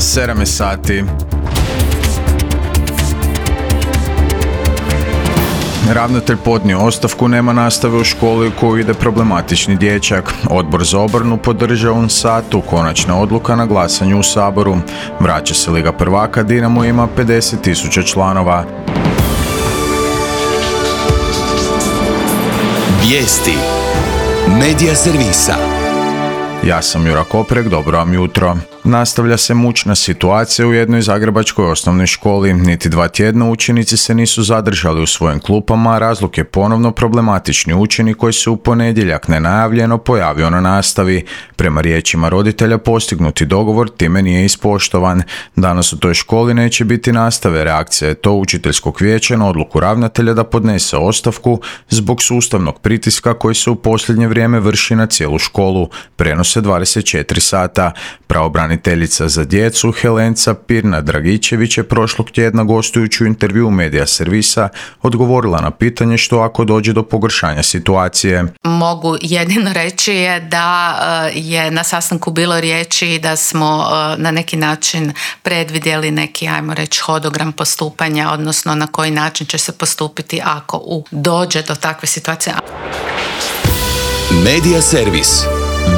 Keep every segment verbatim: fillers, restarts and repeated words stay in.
sedam je sati. Ravnatelj podnio ostavku, nema nastave u školi u koju ide problematični dječak. Odbor za obranu podržao on satu, konačna odluka na glasanju u Saboru. Vraća se Liga prvaka, Dinamo ima pedeset tisuća članova. Vijesti Medija servisa. Ja sam Jura Koprek, dobro vam jutro. Nastavlja se mučna situacija u jednoj zagrebačkoj osnovnoj školi. Niti dva tjedna učenici se nisu zadržali u svojim klupama, a razlog je ponovno problematični učenik koji se u ponedjeljak nenajavljeno pojavio na nastavi. Prema riječima roditelja postignuti dogovor time nije ispoštovan. Danas u toj školi neće biti nastave. Reakcija je to učiteljskog vijeća na odluku ravnatelja da podnese ostavku zbog sustavnog pritiska koji se u posljednje vrijeme vrši na cijelu školu. Prenose dvadeset četiri sata. Pravobraniteljica za djecu Helenca Pirnat-Dragičević je prošlog tjedna gostujući u intervjuu Medija servisa odgovorila na pitanje što ako dođe do pogoršanja situacije. Mogu jedino reći je da je na sastanku bilo riječi da smo na neki način predvidjeli neki, ajmo reći, hodogram postupanja, odnosno na koji način će se postupiti ako u dođe do takve situacije. Medija servis.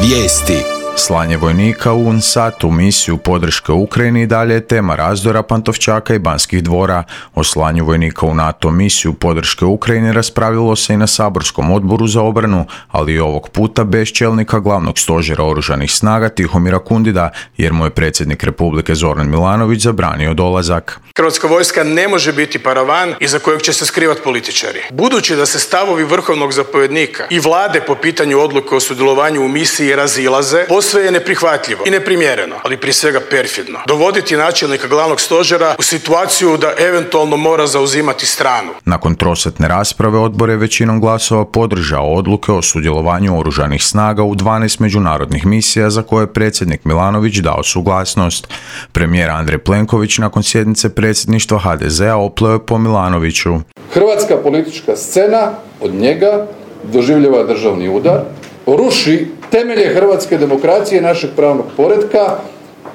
Vijesti. Slanje vojnika u UNSAT u misiju podrške Ukrajini i dalje je tema razdora Pantovčaka i Banskih dvora. O slanju vojnika u NATO misiju podrške Ukrajini raspravljalo se i na saborskom odboru za obranu, ali i ovog puta bez čelnika glavnog stožera oružanih snaga Tihomira Kundida, jer mu je predsjednik Republike Zoran Milanović zabranio dolazak. Hrvatska vojska ne može biti paravan iza kojeg će se skrivati političari. Budući da se stavovi vrhovnog zapovjednika i vlade po pitanju odluke o sudjelovanju u misiji razilaze, sve je neprihvatljivo i neprimjereno, ali prije svega perfidno. Dovoditi načelnika glavnog stožera u situaciju da eventualno mora zauzimati stranu. Nakon trosatne rasprave odbor je većinom glasova podržao odluke o sudjelovanju oružanih snaga u dvanaest međunarodnih misija za koje je predsjednik Milanović dao suglasnost. Premijer Andrej Plenković nakon sjednice predsjedništva ha de zea opleo je po Milanoviću. Hrvatska politička scena od njega doživljava državni udar, ruši temelje hrvatske demokracije i našeg pravnog poretka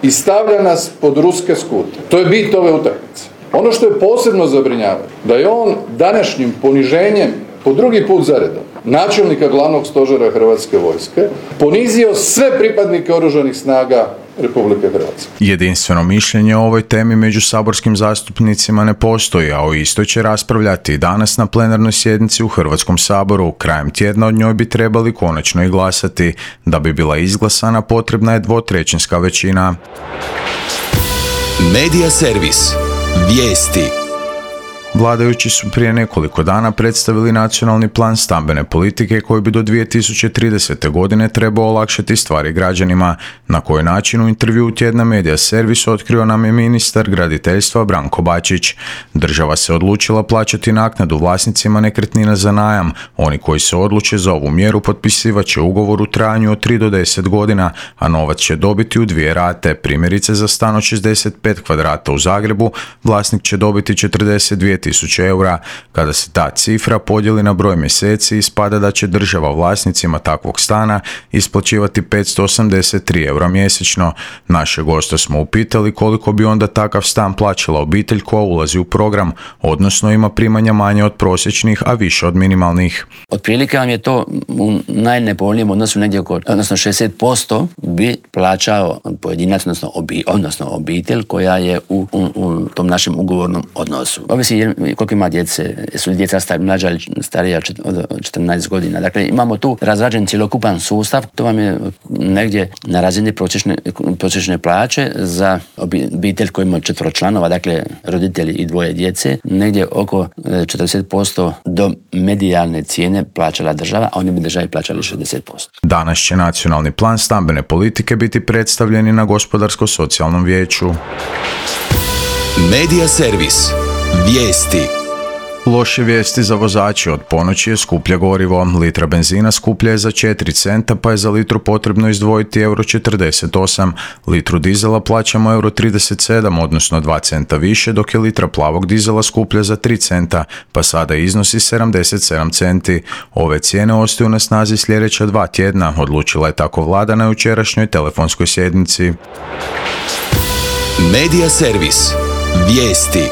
i stavlja nas pod ruske skute. To je bit ove utakmice. Ono što je posebno zabrinjavanje, da je on današnjim poniženjem po drugi put za redom načelnika glavnog stožera Hrvatske vojske ponizio sve pripadnike oružanih snaga Republike Hrvatske. Jedinstveno mišljenje o ovoj temi među saborskim zastupnicima ne postoji, a o istoj će raspravljati danas na plenarnoj sjednici u Hrvatskom saboru. Krajem tjedna od njoj bi trebali konačno i glasati. Da bi bila izglasana potrebna je dvotrećinska većina. Medija servis. Vijesti. Vladajući su prije nekoliko dana predstavili nacionalni plan stambene politike koji bi do dvije tisuće tridesete. godine trebao olakšati stvari građanima. Na koji način u intervjuu tjedna Medija servis otkrio nam je ministar graditeljstva Branko Bačić. Država se odlučila plaćati naknadu vlasnicima nekretnina za najam. Oni koji se odluče za ovu mjeru potpisivat će ugovor u trajanju od tri do deset godina, a novac će dobiti u dvije rate. Primjerice za stan od šezdeset pet kvadrata u Zagrebu vlasnik će dobiti četrdeset dvije tisuće eura. Kada se ta cifra podijeli na broj mjeseci, ispada da će država vlasnicima takvog stana isplaćivati petsto osamdeset tri eura mjesečno. Naše goste smo upitali koliko bi onda takav stan plaćala obitelj koja ulazi u program, odnosno ima primanja manje od prosječnih, a više od minimalnih. Otprilike vam je to u najnepovoljnijem odnosu negdje oko, odnosno šezdeset posto bi plaćao pojedinac, odnosno, obi, odnosno obitelj koja je u, u, u tom našem ugovornom odnosu. Ovisi koliko ima djece, su djeca mlađa ili starija od četrnaest godina. Dakle, imamo tu razrađen cjelokupan sustav, to vam je negdje na razini prosječne, prosječne plaće za obitelj koji ima četvero članova, dakle roditelji i dvoje djece, negdje oko četrdeset posto do medijalne cijene plaćala država, a oni bi državi plaćali šezdeset posto. Danas će nacionalni plan stambene politike biti predstavljeni na Gospodarsko-socijalnom vijeću. Medija servis. Vijesti. Loše vijesti za vozače, od ponoći je skuplje gorivo. Litra benzina skuplja je za četiri centa, pa je za litru potrebno izdvojiti euro četrdeset osam. Litru dizela plaćamo euro trideset sedam, odnosno dva centa više, dok je litra plavog dizela skuplja za tri centa, pa sada iznosi sedamdeset sedam centi. Ove cijene ostaju na snazi sljedeća dva tjedna, odlučila je tako vlada na jučerašnjoj telefonskoj sjednici. Medija servis. Vijesti.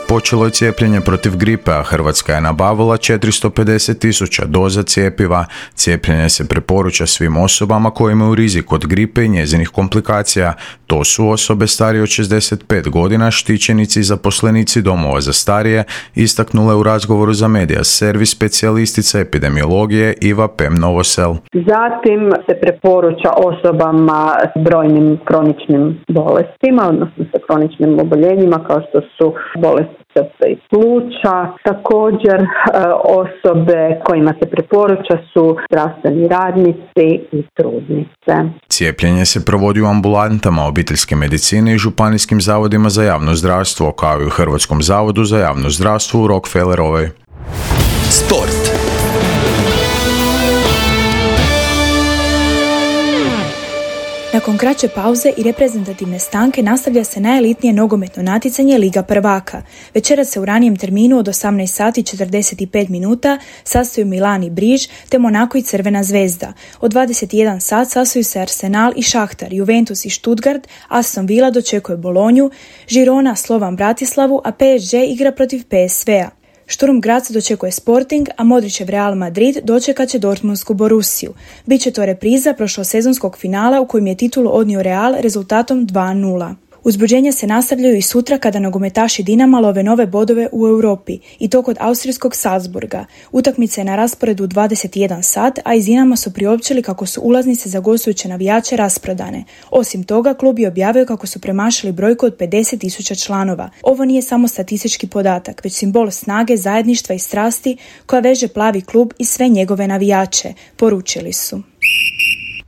Počelo je cijepljenje protiv gripe, a Hrvatska je nabavila četiristo pedeset tisuća doza cjepiva. Cijepljenje se preporuča svim osobama koje imaju rizik od gripe i njezinih komplikacija. To su osobe starije od šezdeset pet godina, štićenici i zaposlenici domova za starije, istaknula je u razgovoru za Medija servis specijalistica epidemiologije Iva Pem Novosel. Zatim se preporuča osobama s brojnim kroničnim bolestima, odnosno sa kroničnim oboljenjima kao što su bolesti srca i pluća. Također osobe kojima se preporuča su zdravstveni radnici i trudnice. Cijepljenje se provodi u ambulantama obiteljske medicine i županijskim zavodima za javno zdravstvo, kao i u Hrvatskom zavodu za javno zdravstvo u Rockefellerovoj. Sport. Nakon kraće pauze i reprezentativne stanke nastavlja se najelitnije nogometno natjecanje Liga prvaka. Večeras se u ranijem terminu od osamnaest sati i četrdeset pet minuta sastaju Milan i Briž te Monako i Crvena zvezda. Od dvadeset jedan sat sastaju se Arsenal i Šahtar, Juventus i Stuttgart, Aston Villa dočekuje Bolonju, Girona Slovan Bratislavu, a P S G igra protiv P S V-a. Sturm Graz dočekuje Sporting, a Modrićev Real Madrid dočekat će Dortmundsku Borussiju. Biće to repriza prošlosezonskog finala u kojem je titulu odnio Real rezultatom dva nula. Uzbuđenja se nastavljaju i sutra kada nogometaši Dinama love nove bodove u Europi, i to kod austrijskog Salzburga. Utakmica je na rasporedu u dvadeset jedan sat, a iz Dinama su priopćili kako su ulaznice za gostujuće navijače rasprodane. Osim toga, klub je objavio kako su premašili brojku od pedeset tisuća članova. Ovo nije samo statistički podatak, već simbol snage, zajedništva i strasti koja veže plavi klub i sve njegove navijače, poručili su.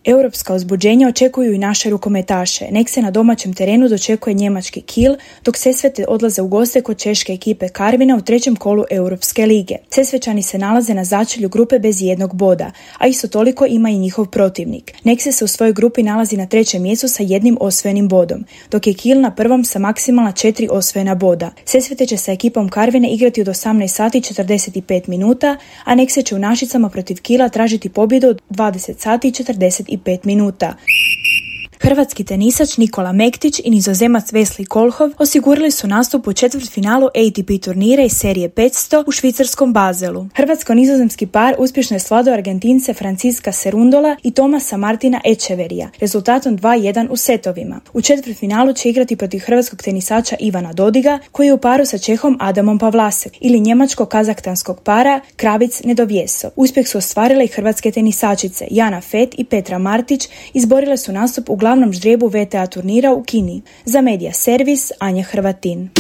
Europska uzbuđenja očekuju i naše rukometaše. Nek se na domaćem terenu dočekuje njemački Kiel, dok Sesvete odlaze u goste kod češke ekipe Karvina u trećem kolu Europske lige. Sesvečani se nalaze na začelju grupe bez jednog boda, a isto toliko ima i njihov protivnik. Nek se u svojoj grupi nalazi na trećem mjestu sa jednim osvojenim bodom, dok je Kiel na prvom sa maksimalna četiri osvojena boda. Sesvete će sa ekipom Karvine igrati od osamnaest sati i četrdeset pet minuta, a Nek se će u Našicama protiv Kiela tražiti pobjedu od dvadeset sati i četrdeset pet minuta. Hrvatski tenisač Nikola Mektić i nizozemac Wesley Kolhov osigurali su nastup u četvrtfinalu A T P turnira iz serije petsto u švicarskom Bazelu. Hrvatsko-nizozemski par uspješno je svladao Argentince Francisca Cerundola i Tomasa Martina Echeverija rezultatom dva jedan u setovima. U četvrtfinalu će igrati protiv hrvatskog tenisača Ivana Dodiga, koji je u paru sa Čehom Adamom Pavlasek, ili njemačko-kazahstanskog para Kravic Nedovjeso. Uspjeh su ostvarile i hrvatske tenisačice Jana Fet i Petra Martić, izborile su nastup u glavnom ždrijebu V T A turnira u Kini. Za Medija servis Anja Hrvatin.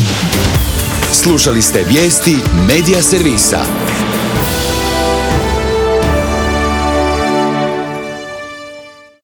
Slušali ste vijesti Medija servisa.